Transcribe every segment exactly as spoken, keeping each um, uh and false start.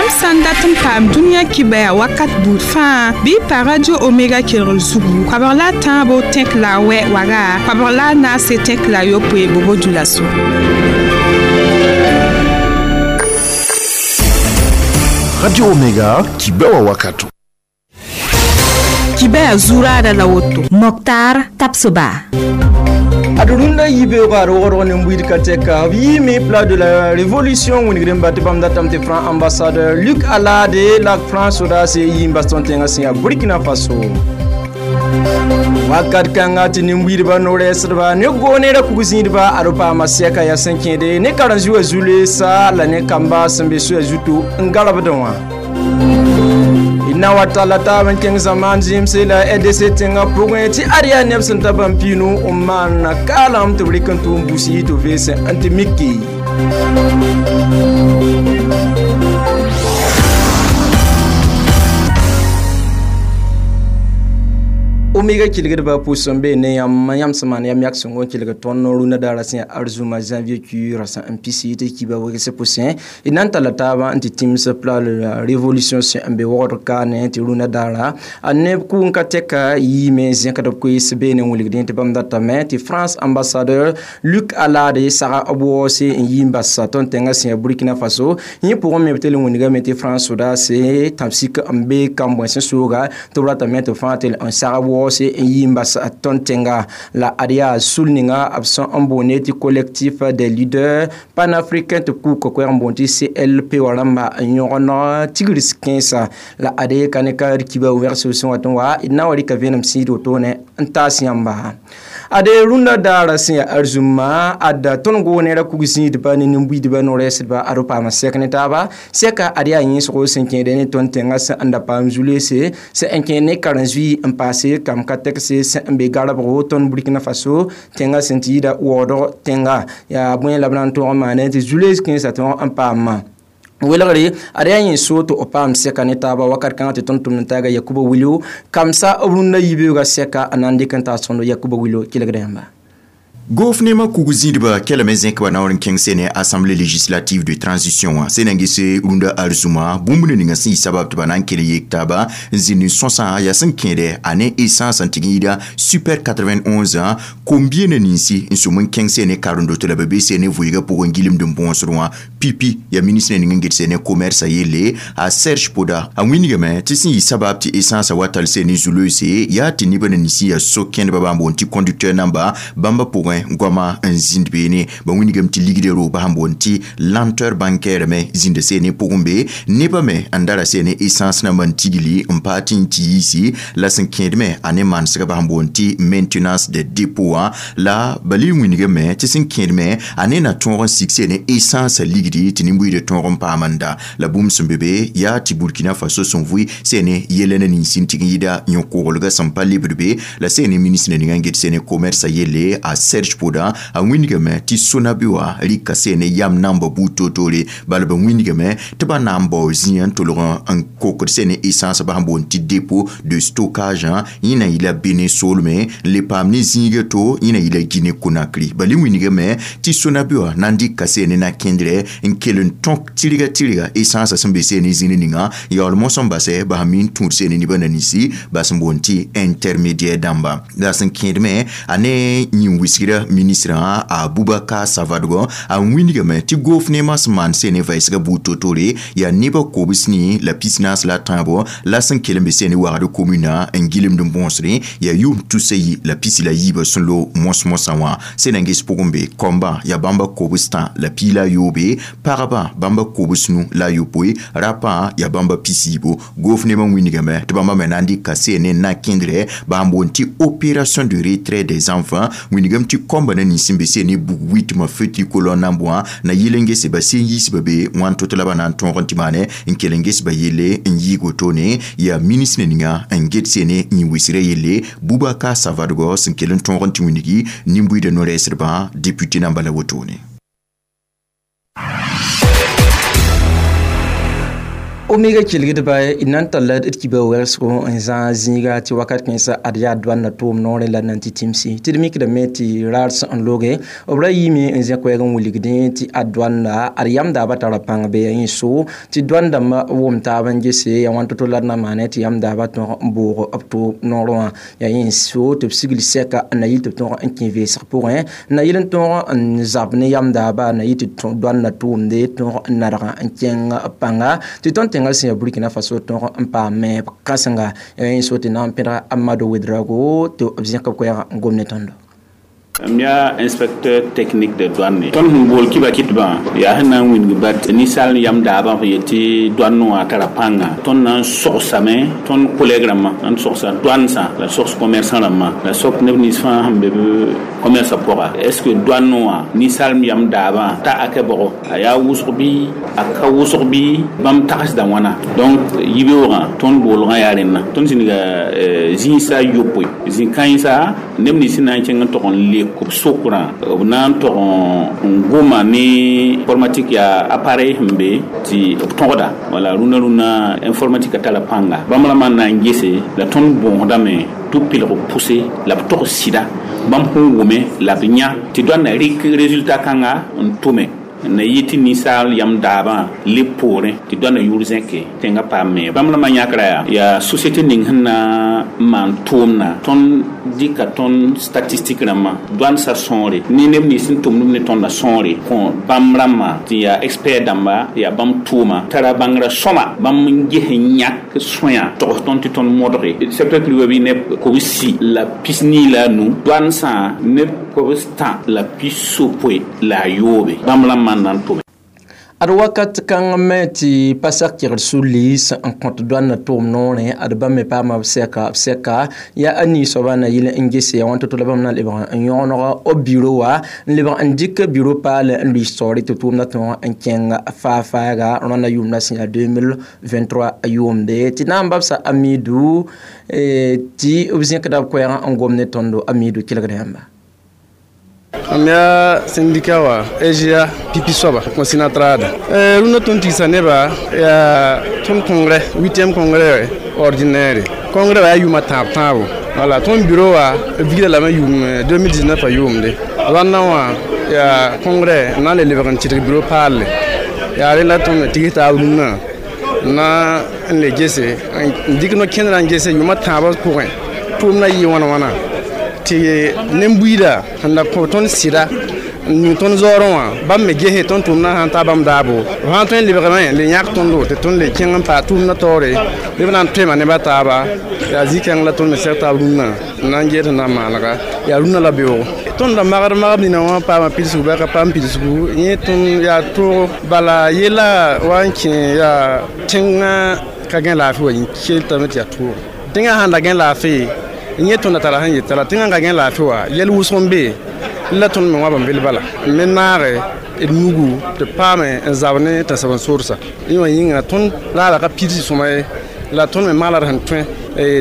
Yãmb sã n dat n paam dũniyã kibaya wakat buud fãa bɩ y pa Radio Omega kelgr zugu koabg la a tãabo tẽk la a wɛ waga koabg la a naase tẽk la a yopoe bobo dulaso. Radio Omega kibewa wakato. Kibaya zurada la woto. Mokhtar Tapsoba. Adurunda yibe ga rogoro ne mbuid kateka yimi plat de la révolution woni gremba te bamda tamte franc ambassadeur Luc Alade la France oda se yimba sontenga sia Burkina Faso. Wakat kanga ti nimbuidba noresdba ne goonera kugzĩidba ad paama sɛka yaa sẽn kẽede ne karen-zoa zu-leesa la ne kamba sẽn be soya zuto n garbdẽ wã na wa talla taab n kẽng zamaan zĩmse la R D C tẽngã pʋgẽ tɩ ad yaa neb sẽn ta bãmb piinu n maan kaalem tɩ b rɩk n tʋʋm busi tɩ veese n tɩ miki. Omega kilgdba pʋsẽ be ne yãmb yãmb sẽn maan yam yak sõngo n kelg tõnd rũndã daara sẽn yaa arzũma janvier cu rasã n pisi tɩ kiba wegse pʋsẽ d na n talla taabã n tɩ tĩms pla la révolution sẽn n be wogd kaane tɩ rũndã daara a neb kʋʋng ka tɛka yiime zẽkd b koees beene n wilgdẽ tɩ bãmb datame tɩ France ambassadeur Luc Alade saga b waoose n yi n bas tõnd tẽngã sẽn yaa Burkina Faso yẽ pʋgẽ me b tɩ l wingame tɩ France sodaase tãb-sik n be kambõe sẽn sooga tɩ b ratame tɩ fãa tɩ n sag b waoose n yi n bas tõnd tẽnga la ad yaa sul ninga b sẽn n boonde tɩ collectif des leaders panafricains tɩ b kʋʋka koɛɛg n boond tɩ C L P wã rãmba n yõgd tigrs kẽensa la ade ka ne ka d kiba wɛgsb sẽn wat n wa d na n wa rɩka vẽenem sĩid wotone n taas yãmba ade rũndã daara sẽn yaa arzũma ad tõnd goonera kug-zĩidba ne nin-buiidba no-rɛɛsdba ad b paama sɛk ne taaba sɛka ad yaa yẽsgo sẽn kẽede ne tõnd tẽngã sẽn n da paam zu-leese sẽn n kẽed ne karen-zoe n paase kam ka tɛkse sẽn n be garbgo tõnd Burkina Faso tẽngã sẽn tɩ yɩɩda waoodg tẽnga yaa bõe la b na n tõog n maane tɩ zu-lees kẽensã tõog n paamã welgre ad yaa yẽ soo tɩ b paam sɛka ne taaba wakat kãngã tɩ tõnd tʋmd n taaga Yakuba Wilio kamsa b rũndã yibeoogã sɛka n na n dɩk n taas tõndo Yakuba Wilio kelgda yãmba. Gofnema kugzĩidba kɛlame zẽk ba naoor n kẽng sene assemblée législative de transition wã sẽn na n ges rũndã arzũma bũmb ninga sẽn yɩ sabab tɩ ba na n kell yek taaba n zĩnd n sõsã yaa sẽn kẽede a ne essence n tɩg n yɩɩda super quatre-vingt-onze kom-bienã ninsi n sʋm n kẽng sene karen-doto la ba be sene vʋɩɩgã pʋgẽ gilmd n bõosd wã pipi yaa ministre ning n get sene commerce a yelle a Serge Poda a wĩnigame tɩ sẽn yɩ sabab tɩ essence wa tall sene zu-loeese yaa tɩ nebã na ninsi yaa so-kẽndbã bãmb boond tɩ conducteur namba bãmba pʋgẽ goama n zĩnd beene ba wĩnigame tɩ ligdã rooba sẽn boond tɩ lenteur bancaire me zĩnda seene pʋgẽ be nebã me n dara seene essence nambã n tigli n paa tɩ n tɩ yiisi la sẽn kẽed me a ne manesgba sẽn boond tɩ maintenance de dépôt wã la ba le wĩnigame tɩ sẽn kẽed me a ne na tõog n sig seene essence ligdi tɩ nin-buiidã tõog n paam n da la bũmb sẽn be be yaa tɩ Burkina Faso sẽn vʋɩ seene yɛla na ninsẽ tɩg n yɩɩda yõ-koglgã sẽn pa lebd be la seene ministre ninga n get seene commerce a yelle a Serge Poda a wĩnigame tɩ Sonabi wã rɩka seene yam namba buud toor-toore bala ba wĩnigame tɩ ba na n bao zĩyã n tolg n kokd seene essence ba sẽn boond tɩ dépôt de stockage yẽ na yɩla Benin soolme n le paam ne zĩiga to yẽ na yɩla Guinée Conakry bala wĩnigame tɩ Sonabi wã na n dɩka seene na kẽndrɛ n kell n tõk tɩrga tɩrga essence sẽn be seene zĩni ninga yaool mosã n basɛ ba sẽn mi n tũud seene nebã na ninsi ba sẽn boond tɩ intermédiaire dãmba la sẽn kẽed me a ne yĩn-wɩsgrã ministre Aboubacar Savadogo a wĩnigame tɩ gofnemã sẽn maan seene vɛɛsgã buud toor-toore yaa nebã kobs ne la pis-naas la tãabo la sẽn kell n be seene wagd commune n gilmd n bõosdẽ yaa yʋʋm tusa yi la pisi la yiibã sẽn lo mos-mosã wã sẽn na n ges pʋgẽ be kɔmbã yaa bãmba kobs tã la piig la a yoobe pagba bãmba kobs nu la a yopoe rapã yaa bãmba pisiibo gofnemã wĩnigame tɩ bãmba me na n dɩka seene na kẽndrɛ ba sẽn boond tɩ opération de retrait des enfants wĩnigame tɩ kɔmbã na nins n be seene bug witmã feu tricolore nambã wã na yɩl n gese ba sẽn yiisba be wãn to tɩ la ba na n tõog n tɩ maane n kell n ges ba yelle n yɩɩg wotone yaa ministre ninga n get seene yĩn-wɩsgrã yelle Boubacar Savadogo sẽn kell n tõog n tɩ wĩnigi nin-buiidã no-rɛɛsdbã député namba la wotone. Omega kelgdba d na n talla d kiba wɛlsgo n zãag zĩiga tɩ wakat kẽnsã ad yaa doan na tʋʋm noorẽ la nan tɩ tĩmsi tɩ d mikdame tɩ raar sẽn n loge b ra yiime n zẽ koɛɛg n wilgdẽ tɩ ad doanda ad yam daaba tara pãng be ya yẽ so tɩ doan dãmba wʋm taab n gese ya wãn to-to la d na maane tɩ yam daaba tõg n boog b tʋʋm noorẽ wã ya yẽ so tɩ b sigl sɛka n na yɩl tɩ b tõg n kẽ veesg pʋgẽ n na yɩl n tõog n zab ne yam daaba na yɩ tɩ doan na tʋʋmde tõog n nadg n kẽng pãnga tɩ tõnd tẽngã sẽn yaa Burkina Faso tõog n paam me kãsenga yẽ so tɩ na n pẽdga Amadou Ouedraogo tɩ b zẽk b koɛɛga n gom ne tõndo. M yaa inspecteur technique de douane. Tõnd sẽn bool kiba kɩtbã yaa sẽn na n wilg bat ninsaal yam daabã f yet tɩ douane wã tara pãnga. Tõnd na n sogsame tõnd collègue rãmbã, n sogsa douane sã la sogs commerçant rãmbã la sok neb nins fãa sẽn be b commerce pʋga. Est ce que douane wã ninsaal yam daabã ta ake bʋgo a yaa wʋsg bɩ a ka wʋsg bɩ bãmb tagsda wãna? Donc yibeoogã tõnd boolgã yaa rẽnna. Tõnd zĩniga zĩisa yopoe, zĩ-kãensa neb nins sẽn na n kẽng n tog n le b sokrã b na n tog n goma ne informatique, yaa appareil sẽn be tɩ b tõgda wala rũnã rũnã informatique a tara pãnga. Bãmb rãmbã n na n gese la tõnd bõosdame tɩ b pilg pʋse la b tog sɩda bãmb sẽn wʋme la b yã tɩ doan na rɩk résultat kãnga n tʋme n na yɩ tɩ ninsaal yam daabã leb poorẽ tɩ doan yʋʋr zẽke tẽngã paam me. Bãmb rãmbã yãkra yaa yaa société ning sẽn na n maan tʋʋmna. Tõnd dɩka tõnd statistique rãmbã doan sa sõore ne neb nins sẽn tʋmd ne tõndã sõore kõ bãmb rãmbã tɩ yaa expert dãmba, yaa bãmb tʋʋma tara bãngrã sõma bãmb n ges n yãk sõya togs tõnd tɩ tõnd modge secteur privé bɩ neb kobs-si la pis-nii la a nu, doan sã neb kobs tã la pis-sopoe la a yoobe bãmb rãmbã n na n tʋme. Ad wakat kãng me tɩ pa sak kegd su-liis n kõt doan na tʋʋm noorẽ ad bãmb me paama b sɛka b sɛka yaa a nii soaba na yɩl n gese ya wãn to-to la bãmb na lebg n yõgeneg b biro wa n lebg n dɩk biro paal n luis taoore tɩ tʋʋmdã tõog n kẽng faa-faaga rõndã yʋʋmdã sẽn yaa deux mille vingt-trois yʋʋmde tɩ na n babsa Amidu tɩ b zẽkda b koɛɛgã n gom ne tõndo. Amidu, kelgd yãmba. Mam yaa syndicat wa S G A pipi soaba Consinatrad. Rũndã tõnd tigsa neba yaa tõnd congrès, huitième congrès ordinaire. Congrès wa yaa yʋʋmã tãab tãabo. Wala tõnd bureau wa vigda lame yʋʋm deux mille dix-neuf a yʋʋmde rãndã wã yaa congrès n na n le lebg n tɩdg bureau paalle. Yaa rẽ la tõnd me tigs taab rũnnã na n le gese n dɩk no-kẽndrã n gese yʋʋmã tãabã pʋgẽ tʋʋmdã yɩ wãna wãna tɩ nen-buiida sẽn da kõ tõnd sɩda n ning tõnd zaoorẽ wã bãmb me gese tõnd tʋʋmdã sãn ta bãmb daabo b sãn tõe n lebgame le yãk tõndo tɩ tõnd le kẽng n paa tʋʋmdã taoore bɩ b na n toema nebã taaba. Yaa zĩ-kãng la tõnd me sɛg taab rũnnã n na n ges tɩ na n maanega yaa rũnnã la beoogo. Tõnd da magd magb nina wã paama pidsgu bɩ a ka paam pidsgu yẽ tõnd yaa toogo bala yella wa n kẽ yaa tẽngã ka gẽ laafɩ wa keltame tɩ yaa toogo tẽngã sãn da gẽ laafɩ yẽ tõnd tara sẽn yeta la tẽngã ka gẽ laafɩ wa yɛl wʋsg n be la tõnd me wã bel bala n me naage d nugu tɩ paame n zab ne tãnsb n soorsa yẽ wã yĩnga tõnd raara ka pidsi sõma ye la tõnd me maala d sẽn tõe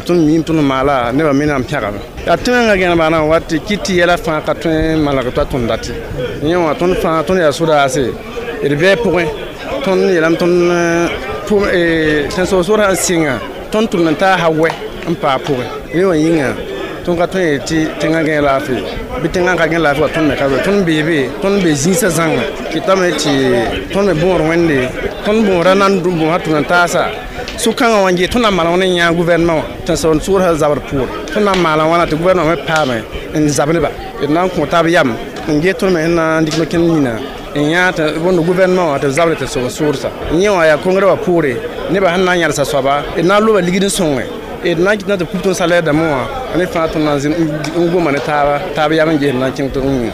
tõnd miime tõnd maala nebã me na n pẽgame yaa tẽngã gẽneg baana wat tɩ kɩt tɩ yɛla fãa ka tõe n malg t'a tõnd date yẽ wã tõnd fãa tõnd yaa sodaase d bɩ pʋgẽ tõnd yeelame tõnd tãnsg soor sãn sɩnga tõnd tʋmd n taa wɛ n paa pʋgẽ yẽ wã yĩnga tõnd ka tõe tɩ tẽngã gẽ laafɩ bɩ tẽngã ka gẽ laafɩ wa tõnd me ka be tõnd beebe tõnd be zĩisã zãnga kɩtame tɩ tõnd me bõor wẽnde tõnd bõora nan bõosa tʋm n taasa so-kãngã wã n gee tõnd na n maana wãna n yãag gouvernement wã tãnsg soorsa zabr pʋʋr tõnd na n maana wãna tɩ gouvernement me paame n zab neba d na n kõ taab yam n gee tõnd me sẽn na n dɩk no-kẽnd nina n yãag tɩ bõnd gouvernement wã tɩ b zabre tɩ sob soorsa yẽ wã yaa congrès wã poore nebã sẽn na n yãlsa soaba d na n loba ligd n sõnge d na n kɩt na tɩ kup tõnd salaire dãmbã wã ne fãa tõnd na n goma ne taaba taab yam n ges na n kẽng tɩ yĩnga.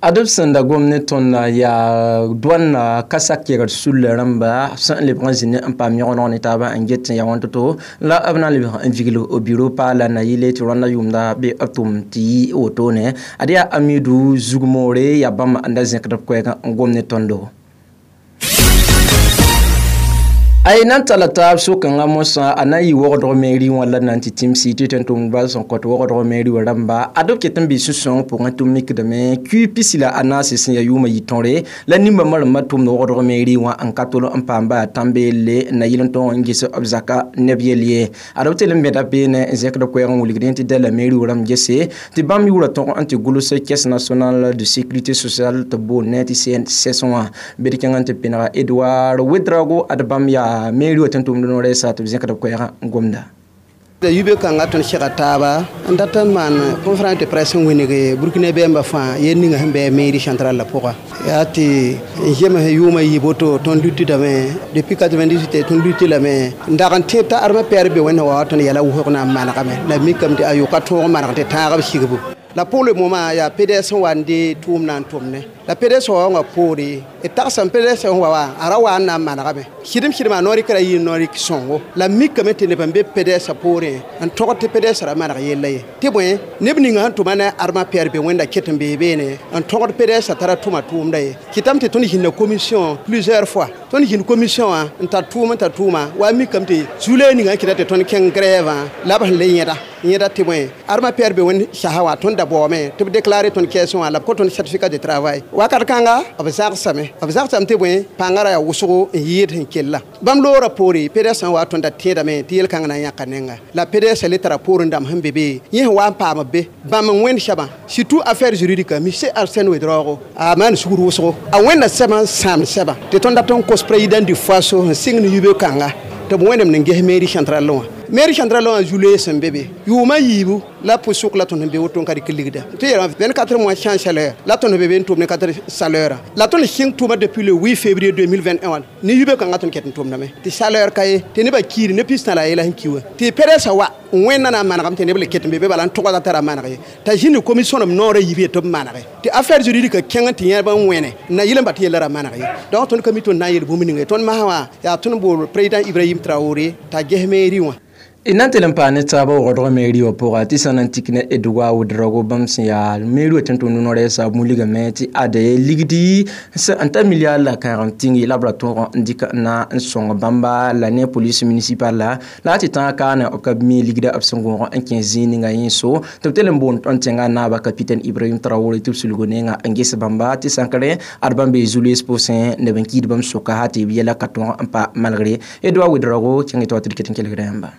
Ad b sẽn da gom ne tõnda yaa doan ka sak kegd sulla rãmba sẽn lebg n zĩnd n paam yõgeneg ne taabã n get tɩ ya wãn to-to la b na n lebg n vigl biro paala na yɩle tɩ rõndã yʋʋmda be b tʋm tɩ yɩ wotone. Ad yaa Amidu zugmoore yaa bãmb n da zẽkd b koɛɛgã n gom ne tõndo. Ay nan tala taab sʋkãngã mosã a na n yɩ wogdg meri wã la na n tɩ tĩmsi tɩ tẽn-tʋmdbã sẽn kõt wogdg meri wã rãmba ad b ket n bɩ sũ-sãoong pʋgẽ tɩ b mikdame kui pisi la a naase sẽn yaa yʋʋmã yɩ tõre la nimbã marenbã tʋmd wogdg meri wã n ka tol n paam baa tãn-beelle n na yɩl n tõog n ges b zaka neb yell ye ad b tɩl n bẽda beene n zẽkd koɛɛg n wilgdẽ tɩ dala meri wã rãmb gese tɩ bãmb yʋʋra tõg n tɩ gʋls Caisse nationale de sécurité sociale tɩ boond ne tɩ C N S S wã bɩ d kẽng n tɩ pẽnega Edouard Ouedraogo ad bãmb yaa meri wa tẽn-tʋmd no-rɛɛsa tɩ b zẽkd b koɛɛgã n gomda. Yube kãnga tõnd sega taaba n dat n maan conférence de presse n wĩneg Burkina bɛɛmbã fãa yel ninga sẽn bɩ mairie centrale la pʋga yaa tɩ n zems yʋʋmã yɩ boto tõnd lutdame depuis quatre-vingt-dix-huit tõnd luti lame n dag n tẽ t'a armã pɛɛr be wẽnd wa tõnd yɛla wʋsg na n manegame la mikame tɩ a yʋka tõog maneg tɩ tãagb sigbu la pour le moment yaa P D S sẽn wa n de tʋʋm na n tʋmne la P D S wã wã poore d tagsame P D S sẽn wa wã a ra wa n na n manegame sɩdem sɩdem a noor-rɩkra yɩ noor-rɩk sõngo la mikame tɩ neb n be P D S poorẽ n togd tɩ P D S ra maneg yella ye tɩ bõe neb ninga sẽn tʋma ne armã pɛɛr be wẽnda ket n bee beene n togd P D S tara tʋma tʋʋmda ye kɩtame tɩ tõnd zĩnda commission plusieurs fois tõnd zĩnd commission wã n tar tʋʋm n tar tʋʋma wa mikame tɩ zu-loeeg ninga n kɩta tɩ tõnd kẽng grève la b sẽn le yẽda yẽda tɩ bõe armã pɛɛr be wẽnd sasa wã tõnd da baoome tɩ b déclarer tõnd caisse wã la b kõ tõnd certificat de travail wakat kãnga b zagsame b zagsame tɩ bõe pãngã ra yaa wʋsgo n yɩɩd sẽn kella bãmb loora poore P D S sẽn wa tõnd da tẽedame tɩ yel-kãngã na n yãka nenga la P D S le tara poorẽ dãmb sẽn be be yẽ sẽn wa n paam be bãmb n wẽnd sɛbã surtout affaire juridique monsieur Arsène Ouedraogo a maan sugr wʋsgo a wẽnda sɛbã n sãamd sɛbã tɩ tõnd dat n kos président du Faso n sɩng ne yube kãnga tɩ b wẽnem n ges mairie centrale wã mairie centrale wã zu-loees sẽn be be yʋʋmã yiibu la pʋsʋk la tõnd sẽn be woto n ka dɩk ligda tɩ yeelame vingt-quatre mois sans salaire la tõnd be be n tʋm ne ka tar salaire la tõnd sɩng tʋma depuis le huit février deux mille vingt et un wã ne yube kãngã tõnd ket n tʋmdame tɩ salaire ka ye tɩ nebã kiir ne pis tã la a yela sẽn ki wã tɩ P D S wa wẽnna na n manegame tɩ neb le ket n be be bala n togda tara maneg ye t'a zĩnd commission b noorã yib ye tɩ b manege tɩ affaire juridique kẽng tɩ yẽb n wẽne n na yɩl n ba tɩ yella ra maneg ye donc tõnd ka mi tõnd na n yel bũmb ninga ye tõnd masã wã yaa tõnd bool président Ibrahim Traoré t'a ges mairie wã. D na n tɩl n paa ne taabã wogdg meri wã pʋga tɩ sã na n tik ne Edouard Ouedraogo bãmb sẽn yaa meri wã tẽn-tʋmd no-rɛɛsa muligame tɩ ade ligdi n ta milliard la kãagem tĩngi la b ra tõog n dɩk n na n sõng bãmba la ne police municipale la la tɩ tãag kaane b ka mi ligda b sẽn gõog n kẽ zĩig ninga yẽ so tɩ b tɩl n boond tõnd tẽngã naaba capitaine Ibrahim Traoré tɩ b sulg nenga n ges bãmba tɩ sãnkre ad bãmb bee zu-loees pʋsẽ neb n kiid bãmb soka ha tɩ b yɛla ka tõog n pa malgre. Edouard Ouedraogo kẽng tɩ wa tɩ d ket n kelgda yãmba.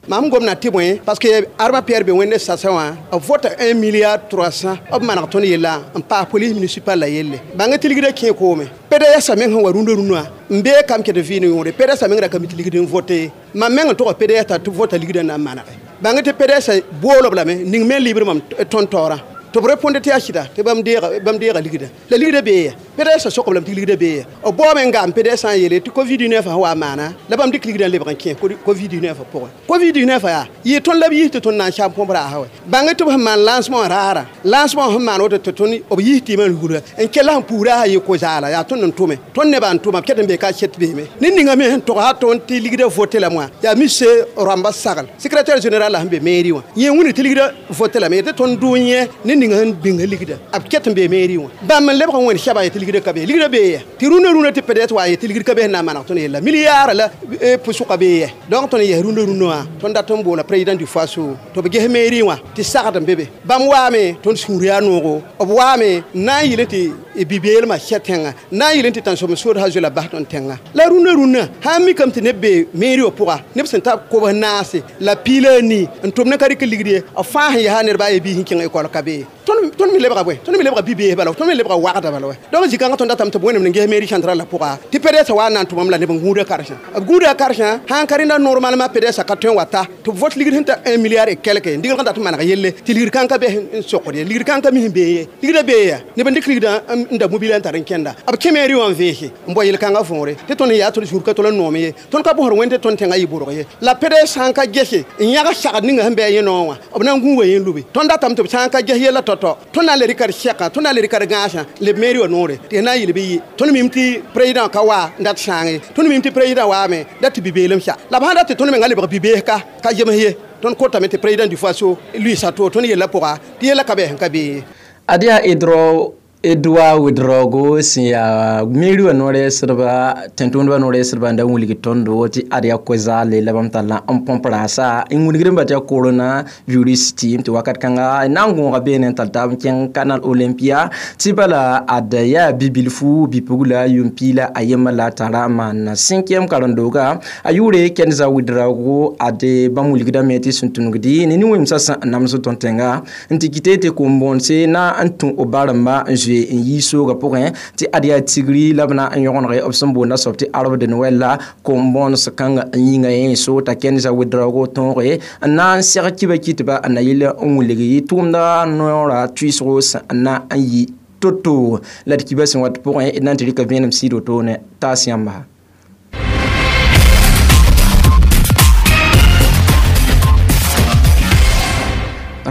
Mam gomna tɩ bõe parce que armã pɛɛr be wẽnde sasẽ wã b vota un milliard trois cents b maneg tõnd yella n paas police municipale la yelle bãng tɩ ligdã kẽ koome P D S meng sẽn wa rũndã rũnã n bee kam ket vɩɩn yõore P D S meng ra ka mi tɩ ligd n vote mam meng n tog P D S t'a tɩ vota ligdã na n manege bãng tɩ P D S boolob lame ning me libr mam tõnd taoorã tɩ b répondre tɩ yaa sɩda tɩ bãmb deega bãmb deega ligdã la ligdã bee ya P D S sokb lame tɩ ligdã bee ya b baoome n gaam P D S sã n yeele tɩ COVID dix-neuf sẽn wa n maana la bãmb dɩk ligdã n lebg n kẽ COVID dix-neuf pʋgẽ COVID dix-neuf yaa yɩ tõnd la b yis tɩ tõnd na n sam põmb raasa wɛ bãng tɩ b sẽn maan lancement raara lancement sẽn maan woto tɩ tõnd b yis tɩ yimã rugla n kella sẽn puura sã yɩ ko-zaala yaa tõnd n tʋme tõnd nebã n tʋma b ket n bee ka set beeme ned ninga me sẽn tog tõnd tɩ ligdã vote lame wã yaa monsieur Ramba Sagl secrétaire général la sẽn be mairie wã yẽ wĩnd tɩ ligdã vote lame tɩ tõnd dʋ yẽ ned ninga sẽn bĩng ligdã b ket n bee mairie wã bãmb n lebg n wẽnd sɛba yetɩ ligdã ka be ligdã bee ya tɩ rũndã rũndã tɩ peut-être wa yetɩ ligd ka be sẽn na n maneg tõnd yella milliard la pʋsʋka bee ya donc tõnd yes rũndã rũndã wã tõnd dat n boola président du Faso tɩ b ges mairie wã tɩ sagd n be be bãmb waame tõnd sũur yaa noogo b waame n na n yɩl tɩ bi-beelmã sɛ tẽngã n na n yɩl tɩ tãnsoem sod sã zoe la bas tõnd tẽngã la rũndã rũndã sã n mikame tɩ neb be mairie wã pʋga neb sẽn ta kobs naase la piila a nii n tʋm ne ka rɩk ligd ye b fãa sẽn yaa nedba a ye biis n kẽng école ka be tõnd me lebga bõe tõnd me lebga bi-bees bala tõnd me lebga wagda bala wɛ donc zĩ-kãngã tõnd datame tɩ b wẽnem n ges mairie centrale la pʋga tɩ P D S wa n na n tʋmam la neb n gũuda karse b gũuda karsã sãn ka rẽnda normalement P D S ka tõe n wa ta tɩ b vote ligd sẽn ta un milliard et quelque n digrg n dat n maneg yelle tɩ ligd kãng ka bɛ n sokd ye ligd kãng ka mi sẽn bee ye ligdã bee ya neb n dɩk ligdã n da mobile n tar n kẽnda b kẽ mairie wã n veese n bao yel-kãngã võore tɩ tõnd yaa tõnd sũur ka tol n noom ye tõnd ka bosd wẽnd tɩ tõnd tẽngã yɩ bʋrg ye la P D S sã n ka gese n yãg sagd ninga sẽn bɩ a yẽ noog wã b na n gũuga yẽ lube tõnd datame tɩ b sã n ka ges yella tao-tao tõnd na n le rɩka d sɛka tõnd na n le rɩka d gãasã leb mairie wã noore tɩ na n yɩl bɩ yɩ tõnd mim tɩ président ka wa n dat sãange tõnd mim tɩ président waame dat tɩ bi-beelem sa la b sãn dat tɩ tõnd menga lebg bi-bees ka ka zems ye tõnd kotame tɩ président du Faso luiisa to tõnd yella pʋga tɩ yella ka bɩ sẽn ka bee. Ad yaa Edro. Edouard Ouedraogo sẽn yaa meri wã no-rɛɛsdba tẽn-tʋmdbã no-rɛɛsdba n da wilg tõndo tɩ ad yaa ko-zaale la bãmb tall n põp rãasa n wilgd n ba tɩ yaa corona virus tɩɩm tɩ wakat kãnga na n gõoga beene n tall taab n kẽng Canal Olympia tɩ bala ad yaa bi-bilfu bi-pugla yʋʋm piila a yembã la a tara n maan cinquième karen-dooga a yʋʋre Kenza Ouedraogo ad bãmb wilgdame tɩ sẽn tũnugdi ne nin-wẽmsã sẽn nams tõnd tẽnga n tɩ kɩte tɩ kom-bõonse na n tũ b baremba n zoe n yi sooga pʋgẽ tɩ ad yaa tigri la b na n yõgenege b sẽn boonda soab tɩ arbre de Noël la kom-bõons kãnga n yĩnga yẽ so t'a Kenza Ouedraogo tõoge n na n seg kiba kɩtba n na yɩl n wilg tʋʋmda noorã tuisgo sẽn na n yi to-to la d kiba sẽn wat pʋgẽ d na n tɩ rɩka vẽenem sɩɩd wotone taas yãmba.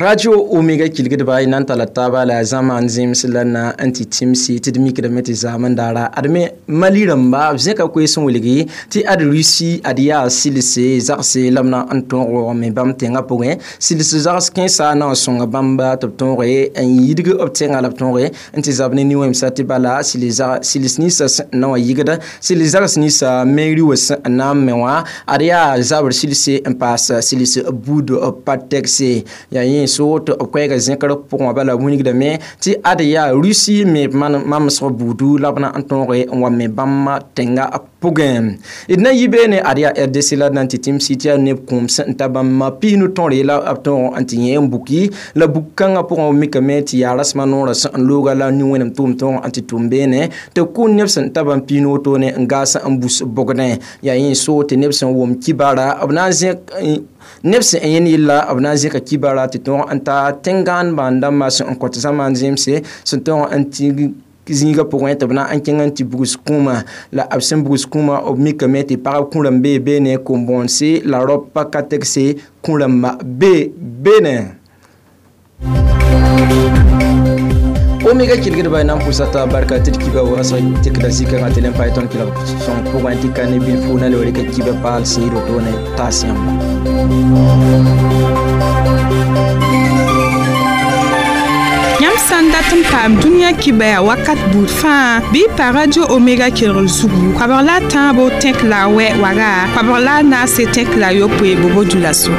Radio Omega kilgdba y na n talla taaba la zãma n zẽms la na n tɩ tĩmsi tɩ d mikdame tɩ zaam n daara ad me Mali rãmba b zẽka koees n wilgi tɩ ad Russie ad yaa silse zagse la b na n tõog me bãmb tẽngã pʋgẽ sils zags kẽesa na n sõnga bãmba tɩ b tõoge n yidg b tẽngã la b tõoge n tɩ zab ne nin-wẽmsa tɩ bala sils ninsã sẽn na wã yigda sils zags ninsã meri wã sẽn na n me wã ad yaa zabr silse n paas sils buud pa tɛgse yaa yẽ so tɩ b koɛɛgã zẽkr pʋgẽ bala wilgdame tɩ ad yaa Russie me mamsg buudu la b na n tõoge n wa me bãmb tẽngã pʋgẽ d na yi beene ad yaa R D C la d na n tɩ tĩmsi tɩ yaa neb kũum sẽn ta bãmb piisnu tõre la b tõog n tɩ yẽ n buki la buk kãngã pʋgẽ b mikame tɩ yaa rasmã noorã sẽn n looga la nin-wẽnem tʋʋm tõog n tɩ tʋm beene tɩ kʋ neb sẽn ta bãmb piisnu wotone n gaas n bus bogdẽ yaa yẽ so tɩ neb sẽn wʋm kibara b na n zẽk neb sẽn yẽnd yella b na n zẽka kibara tɩ tõog n ta tẽn-gãandbã n dãmbã sẽn n kõt zãma n zẽmse sẽn tõog n tɩ zĩigã pʋgẽ tɩ b na n kẽng n tɩ bugs kũumã la b sẽn bugs kũumã b mikame tɩ pagb kũ-rãmb bee beene kom-bõonse la raop pa ka tegse kũ-rãmbã bee beene. Omega kilgdba na n pʋsa t'a barka tɩ d kiba waoosg tekda zikãngã tɩ le n paam tõnd kelg sõng pʋgẽ tɩ ka ne bilfu na le rɩka kiba paal sẽed wotone taas yãmba. Yãmb sã n dat n paam dũniyã kibã yaa wakat buud fãa bɩ pa Radio Omega kelgr zugu koabg la a tãabo tẽk la a wɛ waga koabg la a naase tẽk la a yopoe bobo dulaso.